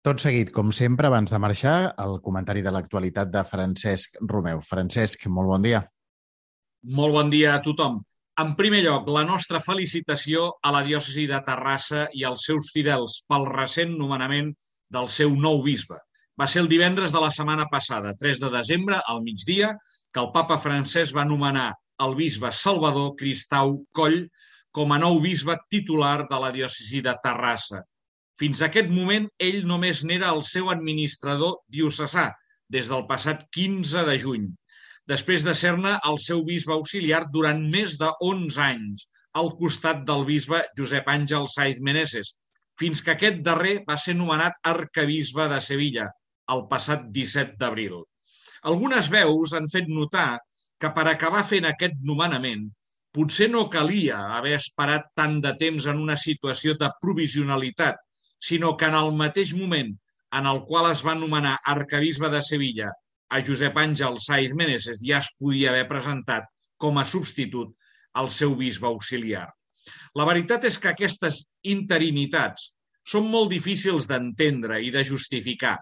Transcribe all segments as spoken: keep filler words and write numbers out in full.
Tot seguit, com sempre, abans de marxar, el comentari de l'actualitat de Francesc Romeu. Francesc, molt bon dia. Molt bon dia a tothom. En primer lloc, la nostra felicitació a la diòcesi de Terrassa i als seus fidels pel recent nomenament del seu nou bisbe. Va ser el divendres de la setmana passada, tres de desembre, al migdia, que el papa Francesc va nomenar el bisbe Salvador Cristau Coll com a nou bisbe titular de la diòcesi de Terrassa. Fins a aquest moment, ell només n'era el seu administrador diocesà, des del passat quinze de juny, després de ser-ne el seu bisbe auxiliar durant més de onze anys, al costat del bisbe Josep Àngel Sáiz Meneses, fins que aquest darrer va ser nomenat arquebisbe de Sevilla, el passat disset d'abril. Algunes veus han fet notar que per acabar fent aquest nomenament potser no calia haver esperat tant de temps en una situació de provisionalitat, sinó que en el mateix moment en el qual es va nomenar arquebisbe de Sevilla a Josep Àngel Sáiz Meneses ja es podia haver presentat com a substitut al seu bisbe auxiliar. La veritat és que aquestes interinitats són molt difícils d'entendre i de justificar,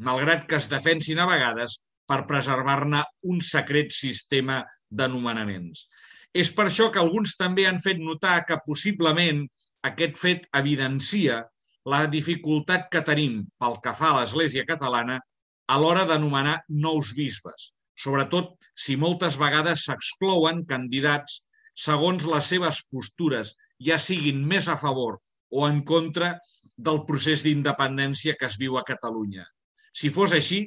malgrat que es defensin a vegades per preservar-ne un secret sistema de nomenaments. És per això que alguns també han fet notar que possiblement aquest fet evidencia la dificultat que tenim pel que fa a l'Església catalana a l'hora de nomenar nous bisbes, sobretot si moltes vegades s'exclouen candidats segons les seves postures, ja siguin més a favor o en contra del procés d'independència que es viu a Catalunya. Si fos així,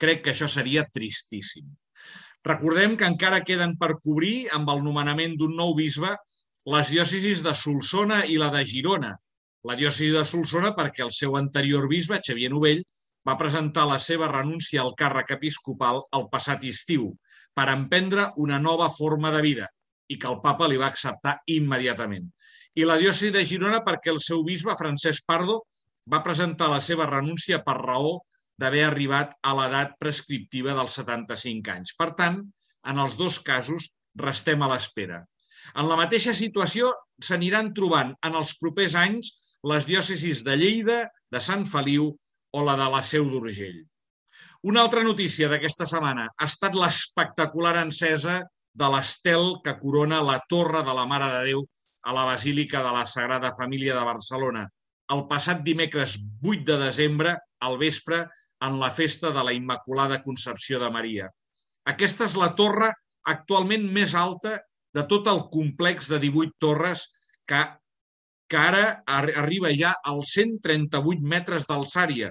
crec que això seria tristíssim. Recordem que encara queden per cobrir amb el nomenament d'un nou bisbe les diòcesis de Solsona i la de Girona. La diòcesi de Solsona perquè el seu anterior bisbe, Xavier Novell, va presentar la seva renúncia al càrrec episcopal el passat estiu per emprendre una nova forma de vida i que el papa li va acceptar immediatament. I la diòcesi de Girona perquè el seu bisbe, Francesc Pardo, va presentar la seva renúncia per raó d'haver arribat a l'edat prescriptiva dels setanta-cinc anys. Per tant, en els dos casos restem a l'espera. En la mateixa situació s'aniran trobant en els propers anys les diòcesis de Lleida, de Sant Feliu o la de la Seu d'Urgell. Una altra notícia d'aquesta setmana ha estat l'espectacular encesa de l'estel que corona la Torre de la Mare de Déu a la Basílica de la Sagrada Família de Barcelona, el passat dimecres vuit de desembre, al vespre, en la festa de la Immaculada Concepció de Maria. Aquesta és la torre actualment més alta de tot el complex de divuit torres que que ara arriba ja als cent trenta-vuit metres d'alçària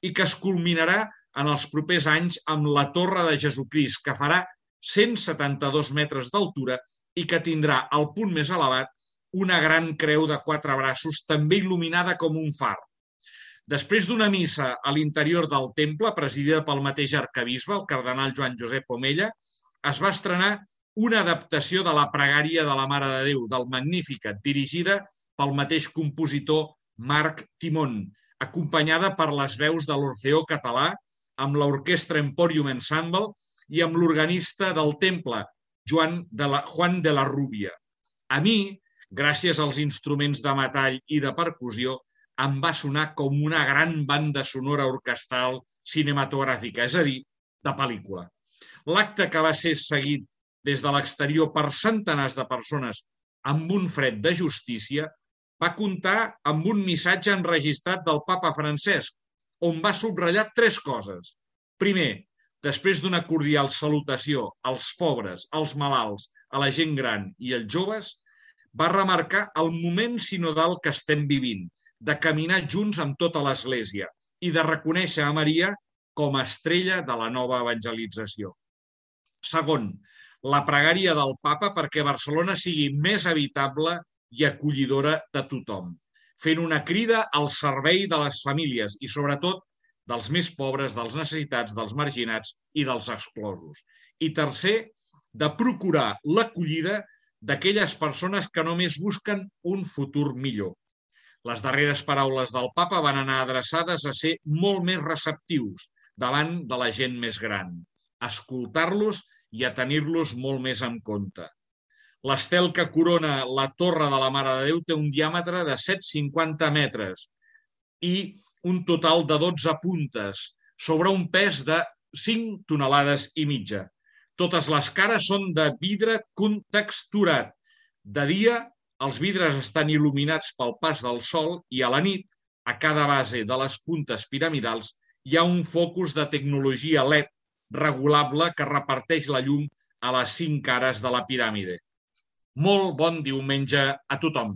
i que es culminarà en els propers anys amb la Torre de Jesucrist, que farà cent setanta-dos metres d'altura i que tindrà al punt més elevat una gran creu de quatre braços, també il·luminada com un far. Després d'una missa a l'interior del temple, presidida pel mateix arquebisbe, el cardenal Joan Josep Omella, es va estrenar una adaptació de la pregària de la Mare de Déu, del Magnificat, dirigida pel mateix compositor Marc Timón, acompanyada per les veus de l'Orfeó Català, amb l'Orquestra Emporium Ensemble i amb l'organista del temple, Joan de la, Juan de la Rubia. A mi, gràcies als instruments de metall i de percussió, em va sonar com una gran banda sonora orquestral cinematogràfica, és a dir, de pel·lícula. L'acte, que va ser seguit des de l'exterior per centenars de persones amb un fred de justícia, va comptar amb un missatge enregistrat del papa Francesc, on va subratllar tres coses. Primer, després d'una cordial salutació als pobres, als malalts, a la gent gran i als joves, va remarcar el moment sinodal que estem vivint, de caminar junts amb tota l'Església i de reconèixer a Maria com a estrella de la nova evangelització. Segon, la pregària del papa perquè Barcelona sigui més habitable i acollidora de tothom, fent una crida al servei de les famílies i, sobretot, dels més pobres, dels necessitats, dels marginats i dels exclosos. I tercer, de procurar l'acollida d'aquelles persones que només busquen un futur millor. Les darreres paraules del papa van anar adreçades a ser molt més receptius davant de la gent més gran, a escoltar-los i a tenir-los molt més en compte. L'estel que corona la Torre de la Mare de Déu té un diàmetre de set coma cinquanta metres i un total de dotze puntes sobre un pes de cinc tonelades i mitja. Totes les cares són de vidre contexturat. De dia, els vidres estan il·luminats pel pas del sol i a la nit, a cada base de les puntes piramidals, hi ha un focus de tecnologia L E D regulable que reparteix la llum a les cinc cares de la piràmide. Molt bon diumenge a tothom!